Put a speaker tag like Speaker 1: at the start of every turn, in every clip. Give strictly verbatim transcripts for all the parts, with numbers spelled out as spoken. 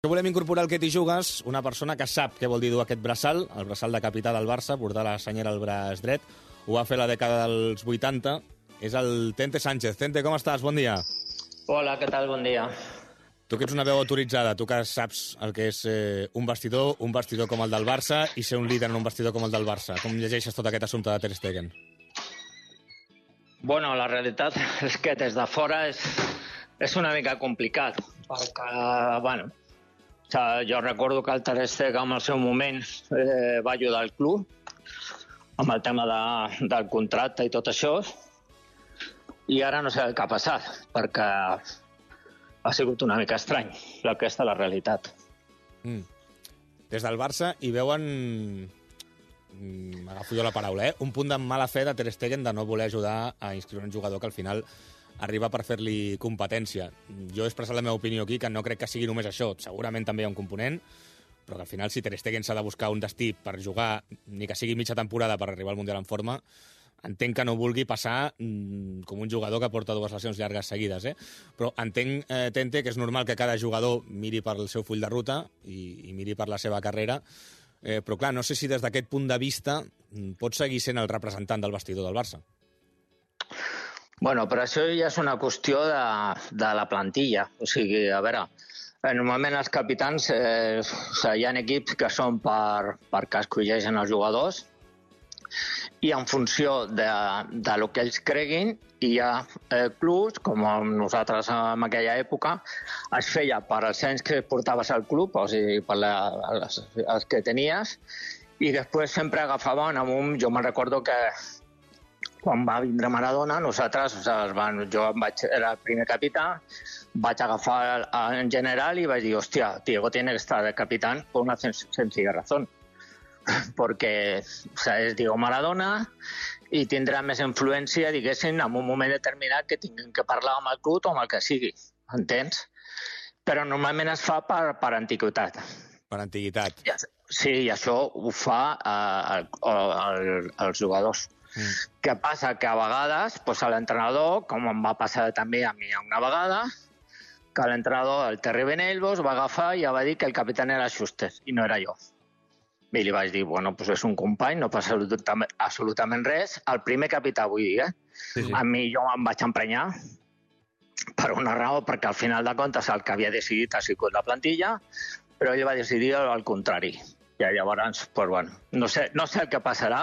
Speaker 1: Volem incorporar al Que t'hi jugues una persona que sap què vol dir dur aquest braçal, el braçal de capità del Barça, portar la senyera al braç dret. Ho va fer a la dècada dels vuitanta. És el Tente Sánchez. Tente, com estàs? Bon dia.
Speaker 2: Hola, què tal? Bon dia.
Speaker 1: Tu que ets una veu autoritzada, tu que saps el que és eh, un vestidor, un vestidor com el del Barça i ser un líder en un vestidor com el del Barça. Com llegeixes tot aquest assumpte de Ter Stegen?
Speaker 2: Bueno, la realitat és que des de fora és, és una mica complicat, perquè, bueno, o sigui, jo recordo que el Ter Stegen en el seu moment eh, va ajudar el club amb el tema de, del contracte i tot això, i ara no sé el que ha passat, perquè ha sigut una mica estrany, aquesta és la realitat.
Speaker 1: Mm. Des del Barça hi veuen, m'agafo jo la paraula, eh? un punt de mala fe de Ter Stegen de no voler ajudar a inscriure un jugador que al final arriba per fer-li competència. Jo he expressat la meva opinió aquí, que no crec que sigui només això. Segurament també hi ha un component, però que al final si Ter Stegen s'ha de buscar un destí per jugar, ni que sigui mitja temporada per arribar al Mundial en forma, entenc que no vulgui passar mm, com un jugador que porta dues lesions llargues seguides, eh? Però entenc, eh, Tente, que és normal que cada jugador miri per el seu full de ruta i, i miri per la seva carrera, eh, però clar, no sé si des d'aquest punt de vista pot seguir sent el representant del vestidor del Barça.
Speaker 2: Bueno, però això ja és una qüestió de, de la plantilla. O sigui, a veure, normalment els capitans, eh, o sigui, hi ha equips que són per, perquè escolleixen els jugadors, i en funció de, de lo que ells creguin, hi ha eh, clubs, com nosaltres en aquella època, es feia per els anys que portaves al club, o sigui, per la, els, els que tenies, i després sempre agafaven amb un... Jo me'n recordo que quan va vindre Maradona, nosaltres, o sigui, van, jo vaig, era el primer capità, vaig agafar en general i vaig dir, hòstia, Diego tiene que estar de capitán por una sencilla razón. Perquè o sigui, és Diego Maradona i tindrà més influència, diguéssim, en un moment determinat que tinguin que parlar amb el club o amb el que sigui, entens? Però normalment es fa per, per antiguitat.
Speaker 1: Per antiguitat.
Speaker 2: Sí, i això ho fa eh, el, el, els jugadors. Mm. Què passa? Que a vegades doncs, l'entrenador, com em va passar també a mi una vegada, que l'entrenador, el Terry Benelvos, va agafar i ja va dir que el capità era Schuster, i no era jo. I li vaig dir, bueno, doncs és un company, no passa absolutament, absolutament res. El primer capità, vull dir, eh? Sí, sí. A mi jo em vaig emprenyar per una raó, perquè al final de comptes el que havia decidit ha sigut la plantilla, però ell va decidir al contrari. I llavors, doncs, bueno, no sé, no sé el que passarà,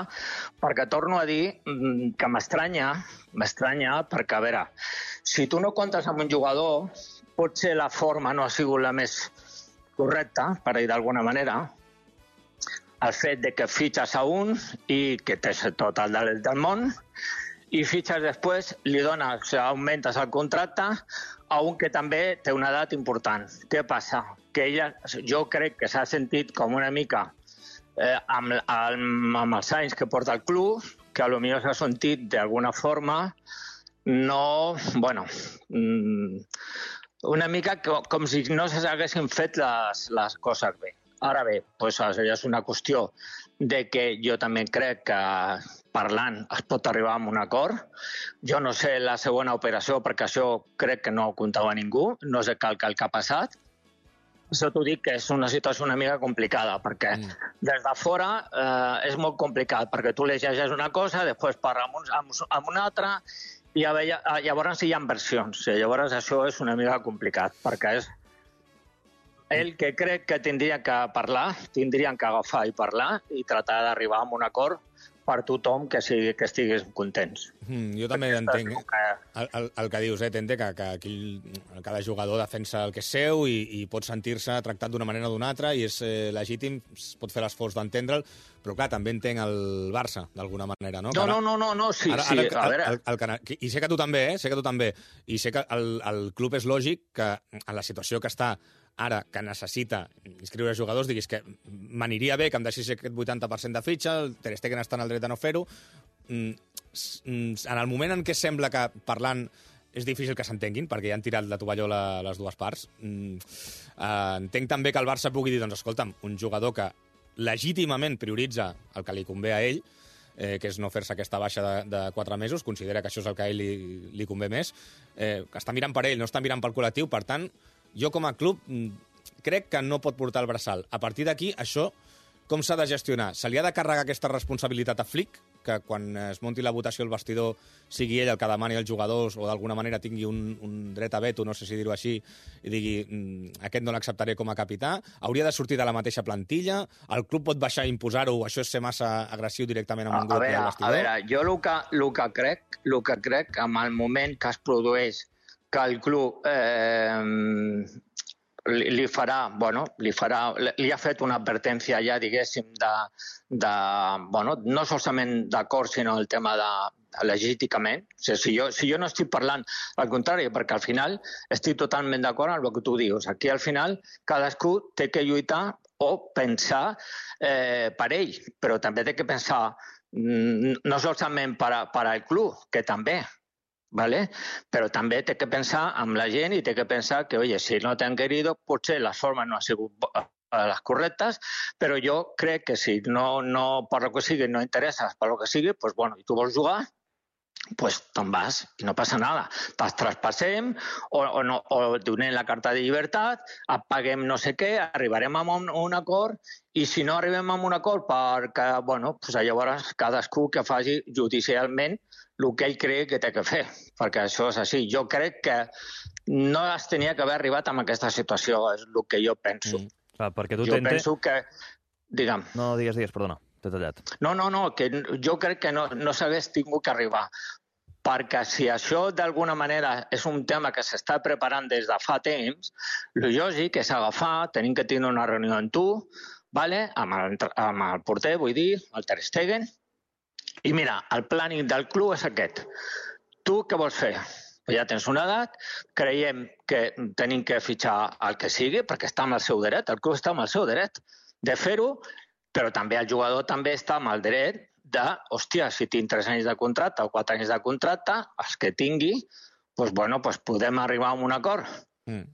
Speaker 2: perquè torno a dir que m'estranya, m'estranya perquè, a veure, si tu no comptes amb un jugador, potser la forma no ha sigut la més correcta, per dir d'alguna manera, el fet de que fitxes a un i que tens tot el del, del món, i fitxes després, li dones, o sigui, augmentes el contracte a un que també té una edat important. Què passa? Que ella, jo crec que s'ha sentit com una mica eh, amb, amb, amb els anys que porta el club, que potser s'ha sentit d'alguna forma no, bueno, una mica com si no s'haguessin fet les, les coses bé. Ara bé, doncs això és una qüestió de que jo també crec que parlant es pot arribar a un acord. Jo no sé la segona operació, perquè això crec que no ho comptava ningú, no sé cal que el que ha passat. Això t'ho dic que és una situació una mica complicada, perquè mm. des de fora eh, és molt complicat, perquè tu llegeixes una cosa, després parla amb, un, amb, amb una altra, i llavors hi ha versions. Llavors això és una mica complicat, perquè és ell que crec que tindria que parlar, tindrien que agafar i parlar i tratar d'arribar a un acord per tothom que, sigui, que estigués contents.
Speaker 1: Mm, jo també entenc que... el, el, el que dius, eh, Tente, que, que aquí cada jugador defensa el que és seu i, i pot sentir-se tractat d'una manera o d'una altra i és eh, legítim, es pot fer l'esforç d'entendre'l, però clar, també entenc el Barça, d'alguna manera, no?
Speaker 2: No, ara, no, no, no, no, sí, ara, sí, ara, a veure...
Speaker 1: El, el, el, I sé que tu també, eh? Sé que tu també. I sé que el, el club és lògic que en la situació que està ara, que necessita inscriure jugadors, diguis que m'aniria bé que em deixés aquest vuitanta per cent de fitxa, el Ter Stegen està en el dret de no fer-ho. En el moment en què sembla que parlant és difícil que s'entenguin, perquè ja han tirat la tovallola les dues parts, entenc també que el Barça pugui dir, doncs escolta'm, un jugador que legítimament prioritza el que li convé a ell, eh, que és no fer-se aquesta baixa de, de quatre mesos, considera que això és el que a ell li, li convé més, eh, que està mirant per ell, no està mirant pel col·lectiu, per tant, jo com a club crec que no pot portar el braçal. A partir d'aquí, això, com s'ha de gestionar? Se li ha de carregar aquesta responsabilitat a Flick, que quan es monti la votació al vestidor sigui ell el que demani als jugadors o d'alguna manera tingui un, un dret a veto, no sé si dir-ho així, i digui mm, aquest no l'acceptaré com a capità? Hauria de sortir de la mateixa plantilla? El club pot baixar i imposar-ho? Això és ser massa agressiu directament amb un grup del vestidor?
Speaker 2: A veure, jo el que, el que crec, el que crec, en el moment que es produeix que el club eh, li, li farà, bueno, li farà, li ha fet una advertència ja, diguéssim, de, de bueno, no solament d'acord, sinó el tema de legítimament. O sigui, si, jo, si jo no estic parlant, al contrari, perquè al final estic totalment d'acord amb el que tu dius. Aquí al final cadascú té que lluitar o pensar eh, per ell, però també té que pensar no solament per, a, per al club, que també, ¿vale? Però també té que pensar amb la gent i té que pensar que, oye, si no t'han querido, potser les formes no han sigut les correctes, però jo crec que si no, no per lo que sigui, no interesses per lo que sigui, pues bueno, i tu vols jugar, pues te'n vas i no passa nada. Te'ls traspassem o, o, no, o donem la carta de llibertat, paguem no sé què, arribarem a un, un acord i si no arribem a un acord perquè, bueno, pues llavors cadascú que faci judicialment el que ell cree que té que fer, perquè això és així. Jo crec que no es tenia que haver arribat a aquesta situació, és el que jo penso.
Speaker 3: Mm. Clar, perquè tu
Speaker 2: jo
Speaker 3: tente...
Speaker 2: penso que... Digue'm.
Speaker 3: No, digues, digues, perdona, t'he tallat.
Speaker 2: No, no, no, que jo crec que no, no s'hagués tingut que arribar, perquè si això d'alguna manera és un tema que s'està preparant des de fa temps, el lògic és agafar, tenim que tenir una reunió amb tu, vale? amb, el, amb el porter, vull dir, el Ter Stegen, i mira, el planning del club és aquest. Tu què vols fer? Ja tens una edat, creiem que tenim que fitxar el que sigui, perquè està amb el seu dret, el club està amb el seu dret de fer-ho, però també el jugador també està amb el dret de, hòstia, si tinc tres anys de contracte o quatre anys de contracte, els que tingui, doncs, bueno, doncs podem arribar a un acord. Mm.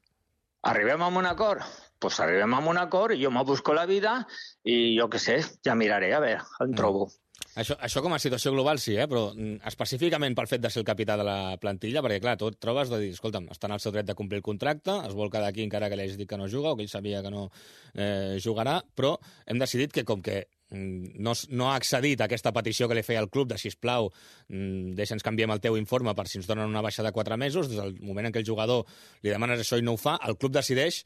Speaker 2: Arribem a un acord? Doncs arribem a un acord i jo me busco la vida i jo què sé, ja miraré, a veure, on mm. trobo.
Speaker 1: Això, això com a situació global sí, eh? Però específicament pel fet de ser el capità de la plantilla, perquè clar, tu et trobes de dir, escolta'm, està en el seu dret de complir el contracte, es vol quedar aquí encara que li hagi dit que no juga o que ell sabia que no eh, jugarà, però hem decidit que com que no, no ha accedit a aquesta petició que li feia el club de, sisplau, deixa'ns canviem el teu informe per si ens donen una baixa de quatre mesos, des del moment en què el jugador li demanes això i no ho fa, el club decideix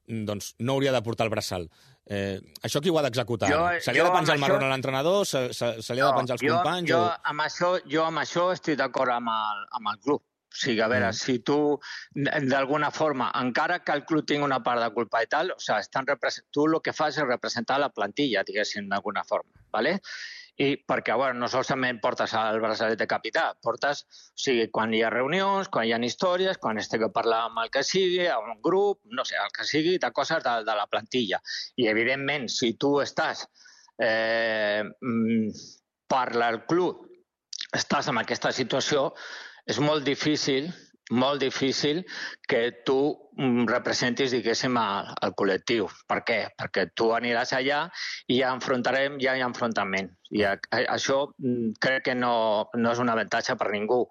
Speaker 1: doncs no hauria de portar el braçal. Eh, això qui ho ha d'executar? Se li ha de penjar el marrón a l'entrenador? Se, se, se li ha de penjar els
Speaker 2: jo,
Speaker 1: companys?
Speaker 2: Jo,
Speaker 1: o...
Speaker 2: amb això, jo amb això estic d'acord amb, el, amb el club. O sigui, a veure, mm. si tu, d'alguna forma, encara que el club tingui una part de culpa i tal, o sigui, estan tu el que fas és representar la plantilla, diguéssim, d'alguna forma, ¿vale? I perquè, bueno, no solament portes el braçalet de capità, portes, o sigui, quan hi ha reunions, quan hi ha històries, quan es té que parlar amb el que sigui, amb un grup, no sé, el que sigui, de coses de, de la plantilla. I, evidentment, si tu estàs eh, per al club, estàs en aquesta situació, és molt difícil, molt difícil que tu representis, diguéssim, el, el col·lectiu. Per què? Perquè tu aniràs allà i ja enfrontarem, ja hi ha enfrontament. I a, a, això crec que no, no és un avantatge per ningú.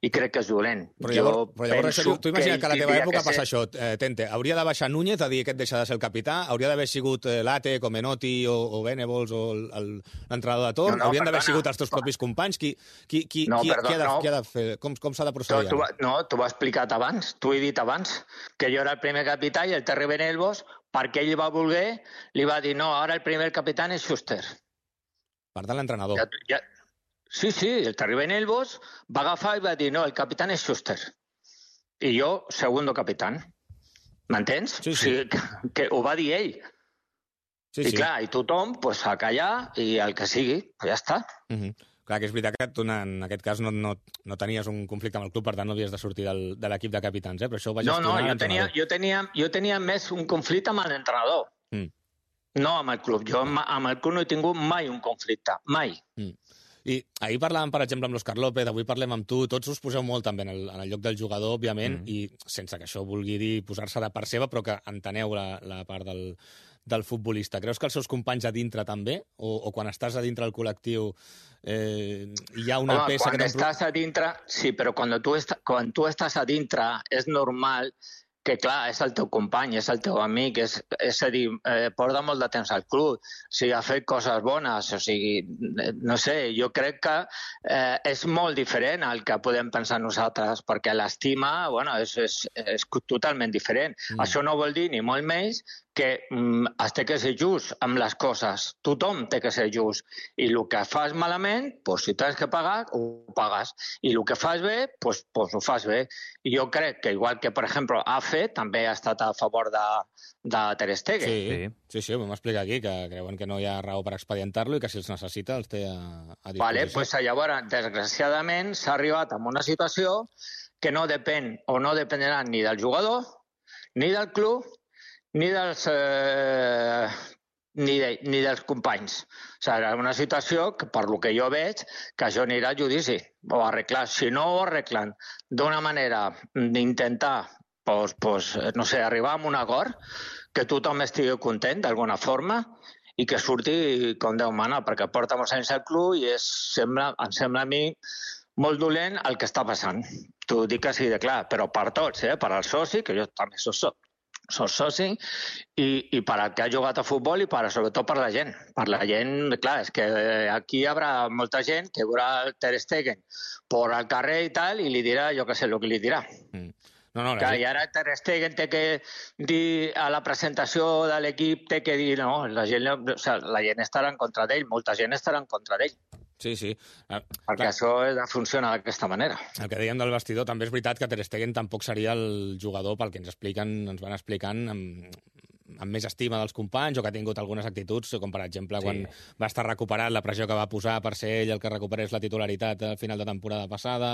Speaker 2: I crec que és dolent.
Speaker 1: Però llavors, però llavors això, tu imagina que, que a la teva època passa ser... això, eh, Tente, hauria de baixar Núñez a dir que et deixa de ser el capità, hauria d'haver sigut eh, Late, com Menotti o, o Venables o l'entrenador de torn, no, no, haurien d'haver sigut els teus propis companys, qui, qui, qui, no, qui, perdó, qui, ha de, no. qui ha de fer, com, com s'ha de procedir?
Speaker 2: Tu, tu, no, t'ho he explicat abans, t'ho he dit abans, que jo era el primer capità i el Terry Venables, perquè ell va voler, li va dir, no, ara el primer capità és Schuster.
Speaker 1: Per tant, l'entrenador.
Speaker 2: Ja, ja, Sí, sí, el Terry Venables va agafar i va dir, no, el capità és Schuster. I jo, segundo capità. M'entens?
Speaker 1: Sí, sí.
Speaker 2: O sigui, que, que ho va dir ell.
Speaker 1: Sí,
Speaker 2: I
Speaker 1: sí.
Speaker 2: clar, i tothom pues, a callar i el que sigui, pues ja està.
Speaker 1: Uh -huh. Clar, que és veritat que tu en aquest cas no, no, no tenies un conflicte amb el club, per tant no havies de sortir del, de l'equip de capitans, eh? Però això ho va gestionar
Speaker 2: No, no, jo tenia, jo, tenia, jo tenia més un conflicte amb l'entrenador. Mm. No amb el club. Jo amb, amb el club no he tingut mai un conflicte, mai.
Speaker 1: Mm. I ahir parlàvem, per exemple, amb l'Òscar López, avui parlem amb tu, tots us poseu molt també en el, en el lloc del jugador, òbviament, mm. i sense que això vulgui dir posar-se de part seva, però que enteneu la, la part del, del futbolista. Creus que els seus companys a dintre també? O, o quan estàs a dintre del col·lectiu eh, hi ha una
Speaker 2: Home,
Speaker 1: peça...
Speaker 2: Quan
Speaker 1: que
Speaker 2: estàs a dintre, sí, però quan tu, est quan tu estàs a dintre és normal que clar, és el teu company, és el teu amic, és, és a dir, eh, porta molt de temps al club, o sigui, ha fet coses bones, o sigui, no sé, jo crec que eh, és molt diferent al que podem pensar nosaltres, perquè l'estima, bueno, és, és, és totalment diferent. Mm. Això no vol dir ni molt menys que mm, es té que ser just amb les coses. Tothom té que ser just. I el que fas malament, pues, si tens que pagar, ho pagues. I el que fas bé, pues, pues ho fas bé. I jo crec que, igual que, per exemple, Afe també ha estat a favor de, de Ter Stegen.
Speaker 1: Sí, sí, sí, ho vam explicar aquí, que creuen que no hi ha raó per expedientar-lo i que si els necessita els té a, a disposició.
Speaker 2: Vale, pues, llavors, desgraciadament, s'ha arribat a una situació que no depèn o no dependrà ni del jugador, ni del club, ni dels, eh, ni, de, ni dels companys. O sigui, una situació que, per lo que jo veig, que això anirà a judici o a arreglar. Si no ho arreglen d'una manera d'intentar, pues, pues, no sé, arribar a un acord, que tothom estigui content d'alguna forma i que surti com Déu mana, perquè porta molts anys al club i és, sembla, em sembla a mi molt dolent el que està passant. T'ho dic així de clar, però per tots, eh? Per al soci, que jo també soc soci, soc soci, i, i per al que ha jugat a futbol i per, sobretot per la gent. Per la gent, clar, és que aquí hi haurà molta gent que veurà el Ter Stegen per al carrer i tal, i li dirà, jo què sé, el que li dirà. Mm. No, no, que, gent... I ara Ter Stegen té que dir a la presentació de l'equip, té que dir, no, la gent, o sigui, la gent estarà en contra d'ell, molta gent estarà en contra d'ell.
Speaker 1: Sí, sí. Ah,
Speaker 2: perquè clar, això funciona d'aquesta manera.
Speaker 1: El que dèiem del vestidor, també és veritat que Ter Stegen tampoc seria el jugador pel que ens expliquen, ens van explicant amb, amb més estima dels companys o que ha tingut algunes actituds, com per exemple sí. quan va estar recuperat la pressió que va posar per ser ell el que recuperés la titularitat al final de temporada passada,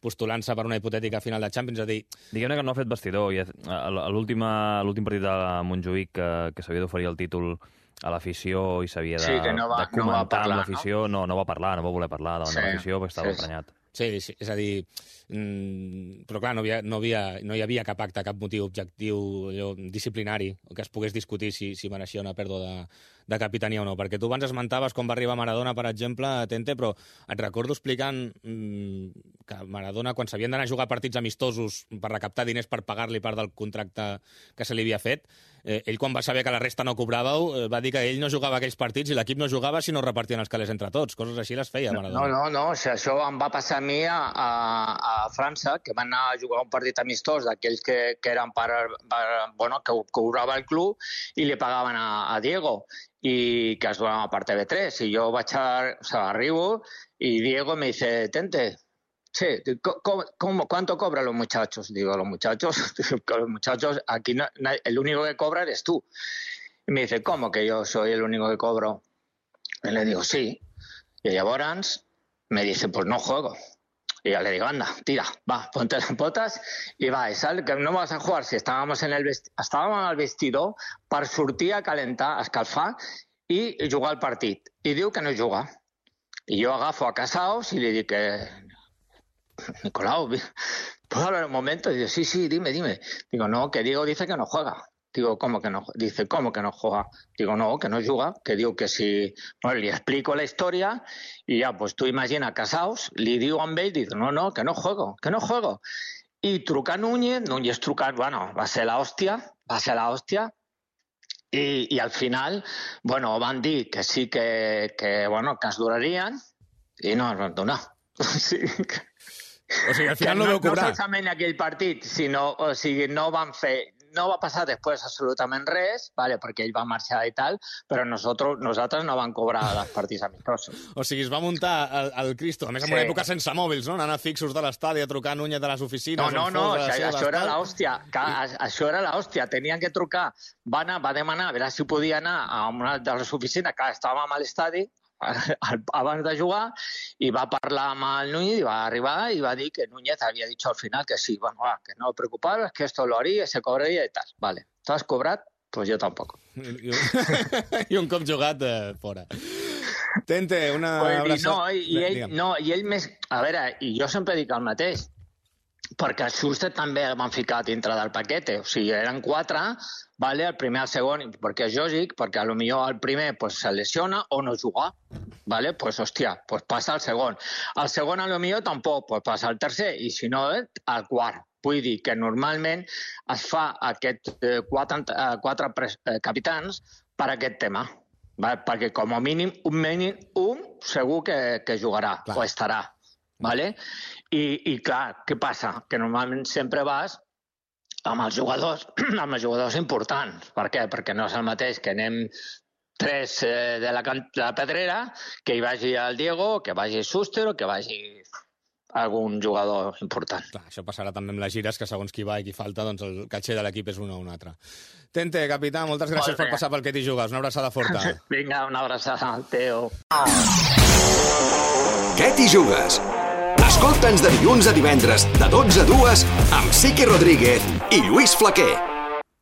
Speaker 1: postulant-se per una hipotètica final de Champions, a dir...
Speaker 3: Diguem-ne que no ha fet vestidor. I a l'últim partit de Montjuïc que, que s'havia d'oferir el títol a l'afició i s'havia de, sí, no va, de comentar no va parlar, amb l'afició, no? no, no va parlar, no va voler parlar davant sí, de l'afició perquè estava sí, emprenyat.
Speaker 1: Sí, sí, és a dir, mmm, però clar, no, havia, no, havia, no hi havia cap acte, cap motiu objectiu allò, disciplinari que es pogués discutir si, si mereixia una pèrdua de, de capitania o no, perquè tu abans esmentaves com va arribar Maradona, per exemple, a Tente, però et recordo explicant mmm, que Maradona, quan s'havien d'anar a jugar partits amistosos per recaptar diners per pagar-li part del contracte que se li havia fet, eh, ell quan va saber que la resta no cobràveu, eh, va dir que ell no jugava aquells partits i l'equip no jugava si no repartien els calés entre tots, coses així les feia Maradona.
Speaker 2: No, no, no, o sigui, això em va passar a mi a, a, a França, que van anar a jugar un partit amistós d'aquells que, que eren per, per, bueno, que cobrava el club i li pagaven a, a Diego i que es donava per T V tres. I jo vaig a, o sea, arribo y Diego me dice, Tente, sí, ¿cómo, cómo, ¿cuánto cobran los muchachos? Digo, los muchachos, los muchachos, aquí no, el único que cobra eres tú. Y me dice, ¿cómo que yo soy el único que cobro? Y le digo, sí. Y llavors me dice, pues no juego. Y yo le digo, anda, tira, va, ponte las botas y va, y sal, que no vas a jugar si estábamos en el vesti estàvem al vestidor per sortir a calentar, a escalfar i jugar al partit. I diu que no juga. I jo agafo a Casaus i li dic que... Nicolau, ¿puedo hablar un momento? Y dice, sí, sí, dime, dime. Digo, no, que Diego dice que no juega. Digo, ¿cómo que no? Dice, ¿cómo que no juega? Digo, no, que no juga, que diu que si... Bueno, li explico la història i ja, pues tu imagina Casaus, li diu amb ell, diu, no, no, que no juego, que no juego. I truca Núñez, Núñez truca, bueno, va ser la hòstia, va ser la hòstia, i, i al final, bueno, van dir que sí que, que, bueno, que es durarien i no es van donar. Sí.
Speaker 1: O sigui, al final no, no veu cobrar.
Speaker 2: No solament aquell partit, sinó, o sigui, no van fer... No va passar després absolutament res, vale, perquè ell va marxar i tal, però nosaltres, nosaltres no vam cobrar els partits amistosos.
Speaker 1: O sigui, es va muntar el, el Cristo, a més en sí. una època sense mòbils, no? Anant fixos de l'estadi a trucar Núñez de les oficines.
Speaker 2: No, no, no, o sigui, això era l'hòstia. I... Això era l'hòstia. Tenien que trucar. Va, anar, va demanar a veure si podia anar a una de les oficines, que estàvem a l'estadi, abans de jugar, i va parlar amb el Núñez i va arribar i va dir que Núñez havia dit al final que sí, bueno, va, que no me preocupava, que esto lo haría, se cobraria i tal. Vale, ¿tú has cobrat? Pues yo tampoc.
Speaker 1: I un cop jugat eh, fora. Tente, una
Speaker 2: pues,
Speaker 1: abraçada...
Speaker 2: No, i, i, ell, no, i ell més... A veure, i jo sempre dic el mateix, perquè a Schuster també el van ficar dintre del paquete, o sigui, eren quatre, vale, el primer, el segon, perquè és lògic, perquè a lo millor el primer pues, se lesiona o no juga, vale, pues hòstia, pues passa al segon. El segon a lo millor tampoc, pues passa al tercer, i si no, al quart, Vull dir que normalment es fa aquests eh, quatre, eh, quatre pres, eh, capitans per aquest tema, vale? Perquè com a mínim un mínim un segur que, que jugarà clar. O estarà. Vale? I, I clar, què passa? Que normalment sempre vas amb els jugadors, amb els jugadors importants. Per què? Perquè no és el mateix que anem tres eh, de, la, de la Pedrera, que hi vagi el Diego, que vagi Suster o que vagi algun jugador important.
Speaker 1: Clar, això passarà també amb les gires, que segons qui va i qui falta, doncs el caché de l'equip és un o un altre. Tente, capità, moltes gràcies per passar pel Que t'hi jugues. Una abraçada forta.
Speaker 2: Vinga, una abraçada, Teo.
Speaker 4: Que t'hi jugues? Escolta'ns de dilluns a divendres, de dotze a dues, amb Siqui Rodríguez i Lluís Flaquer.